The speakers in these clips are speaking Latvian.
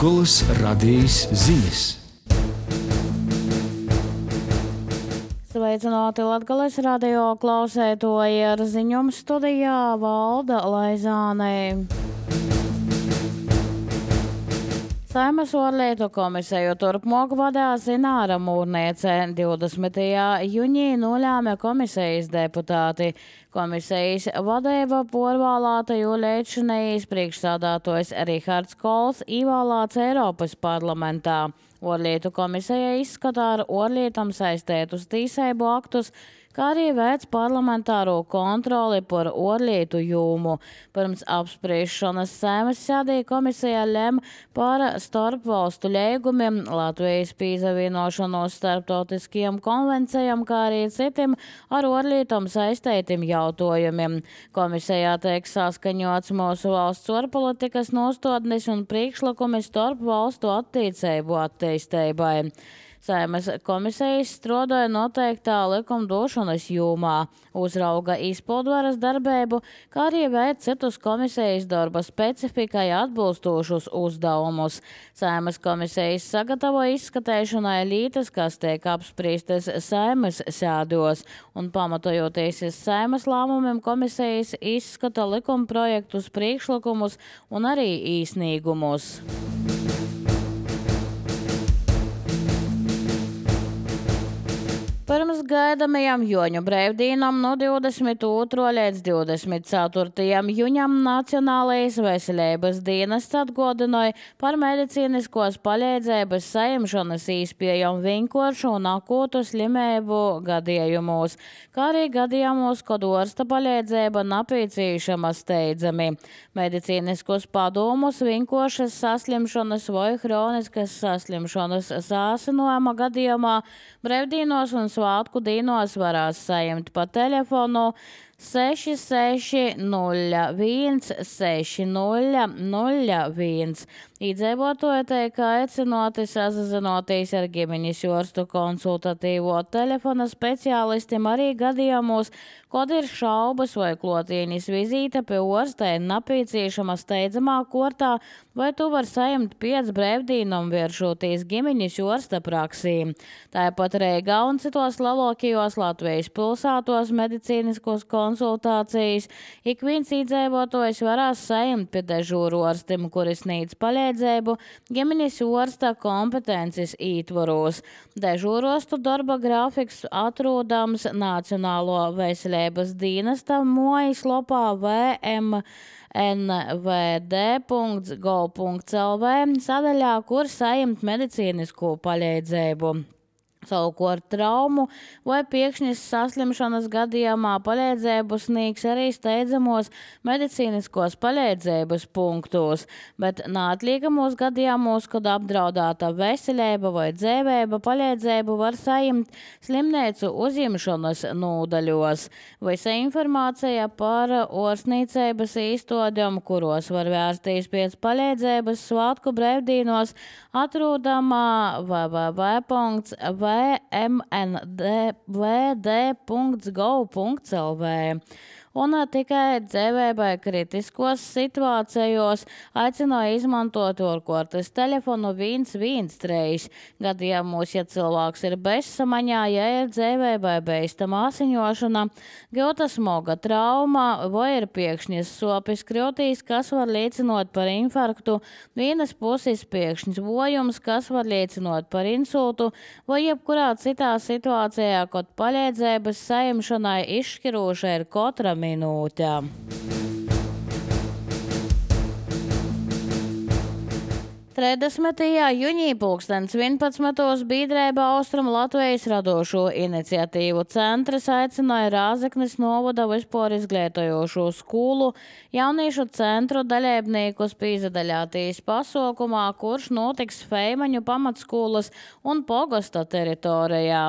Latgolas radijas ziņas. Sveicināti Latgales radio klausētoji, ar ziņojumu studijā Valda Laizāne. Saeimas ārlietu komisiju turpmāk vadās Ināra Mūrniece. 20. jūnijā nolēma komisijas deputāti. Komisijas vadība porvēlēta, jo līdzinējais priekšsādātojs Rihards Kols ievēlēts Eiropas parlamentā. Ārlietu komisija izskatā ar ārlietām saistētus tiesību aktus, kā arī veic parlamentāro kontroli par ārlietu jomu. Pirms apspriešanas Saeimas sēdē komisija lem par starpvalstu līgumiem, Latvijas pievienošanos starptautiskajām konvencijām, kā arī citiem ar ārlietām saistītiem jautājumiem. Komisijā tiek saskaņots mūsu valsts ārpolitikas nostādnes un priekšlikumi starpvalstu attiecību attīstībai. Saeimas komisijas strādāja noteiktā likumdošanas jomā, uzrauga izpildvaras darbību, kā arī veic citus komisijas darba specifikai atbilstošus uzdevumus. Saeimas komisijas sagatavo izskatīšanai lietas, kas tiek apspriestas Saeimas sēdos, un pamatojoties uz Saeimas lēmumiem komisijas izskata likumprojektus, priekšlikumus un arī īsnīgumus. Pirms gaidāmajām Joņu brīvdīnām no 22. līdz 24. jūņam Nacionālais veselības dienests atgādināja par medicīniskos palīdzības saņemšanas iespējām vienkāršu un akūtu slimību gadījumos, kā arī gadījumos, kad ārsta palīdzība nepieciešama steidzami. Medicīniskos padomus vienkāršas saslimšanas vai hroniskas saslimšanas sāsinājuma gadījumā brīvdīnos un svātku dīnos varās saņemt pa telefonu 6601 6001. Iedzīvotāji tiek aicināti sazinoties ar ģimenes ārstu konsultatīvo telefona speciālistiem arī gadījumos, kad ir šaubas vai klotīnis vizīte pie ārsta ir nepieciešama steidzamā kārtā, vai tu var saņemt pēc brīvdīnām vēršoties ģimenes ārsta praksī. Tāpat Rīgā un citos lielākajos Latvijas pilsētos medicīniskos konsultācijas ik viens iedzīvotājs varēs saņemt pie dežūru ārstim, kuri sniedz palīdzību ģimenes ārsta kompetences ietvaros. Dežūrostu darba grafiks atrodams Nacionālo veselības dienesta mājaslapā vmnvd.gov.lv sadaļā, kur saņemt medicīnisko palīdzību. Savukārt traumu vai pēkšņas saslimšanas gadījumā palīdzību sniegs arī steidzamos medicīniskos palīdzības punktos, bet neatliekamos gadījumos, kad apdraudēta veselība vai dzīvība, palīdzību var saņemt slimnīcu uzņemšanas nodaļos. Visa informācija par ārstniecības iestādēm, kuros var vērsties pēc palīdzības svātku brīvdīnos, atrodama vmnvd.gov.lv. Un tikai dzīvībai kritiskos situācijos aicināja izmantot ārkārtas telefonu 113 gadījumos, ja cilvēks ir bezsamaņā, ja ir dzīvībai bīstama asiņošana, gūta smaga trauma vai ir pēkšņas sopes krūtīs, kas var liecinot par infarktu, vienas puses pēkšņs bojums, kas var liecinot par insultu, vai jebkurā citā situācijā, kad palīdzības saņemšanai izšķiroša ir katra minūte. 30. jūnijā 11. biedrība Austrum Latvijas radošo iniciatīvu centrs aicināja Rāzeknes novada vispār izglītojošo skolu jauniešu centru dalībniekus pīzadaļātīs pasaukumā, kurš notiks Feimaņu pamatskolas un pogasta teritorijā.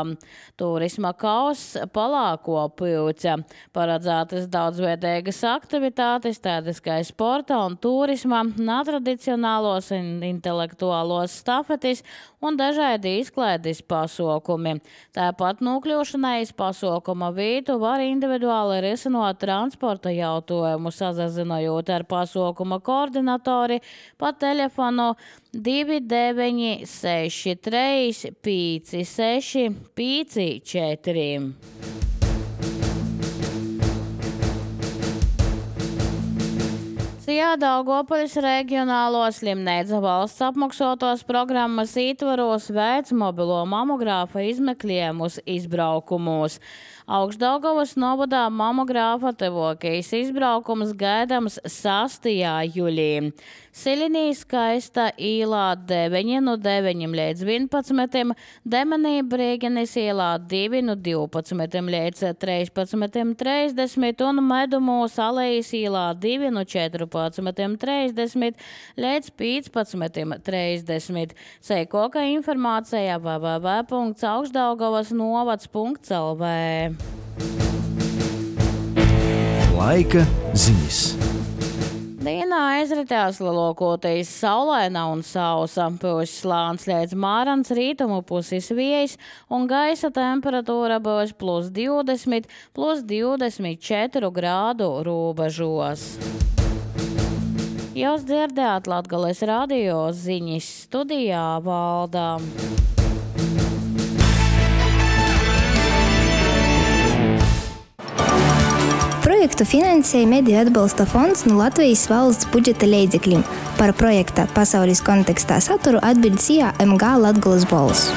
Turisma kauss Palāko pūce. Paredzētas daudzveidīgas aktivitātes, tādas kā sporta un turisma, netradicionālos un intelektuālos stafetis un dažādi izklaides pasaukumi. Tāpat nokļūšanai iz pasaukuma vietu var individuāli risinot transporta jautājumu, sazazinojot ar pasaukuma koordinatori pa telefonu 2963 56 54. Daugavpils reģionālo slimnīcu valsts apmaksotos programmas ietvaros veic mobilo mamogrāfa izmeklējumus izbraukumus. Augšdaugavas novadā mamogrāfa tevokijas izbraukums gaidams 6. jūlijā. Silinī Skaista īlā 9 no 9 līdz 11, Demenī Brīgenis īlā 2 no 12 līdz 13:30 un Medumūs Alejas īlā 2 no 14:30 līdz 15:30. Seikoka informācija www.augšdaugavasnovads.lv. Laika ziņas. Dienā aizritās lielākoties saulaina un sausa, puses slāns līdz Mārans rītumu puses vējs un gaisa temperatūra būs +20, +24 grādu robežos. Jūs dzirdējāt Latgales radio ziņas, studijā Valda. Projektu finansēja Mediju atbalsta fonds no Latvijas valsts budžeta līdzekļiem. Par projekta pasaules kontekstā saturu atbild SIA MG Latgales balss.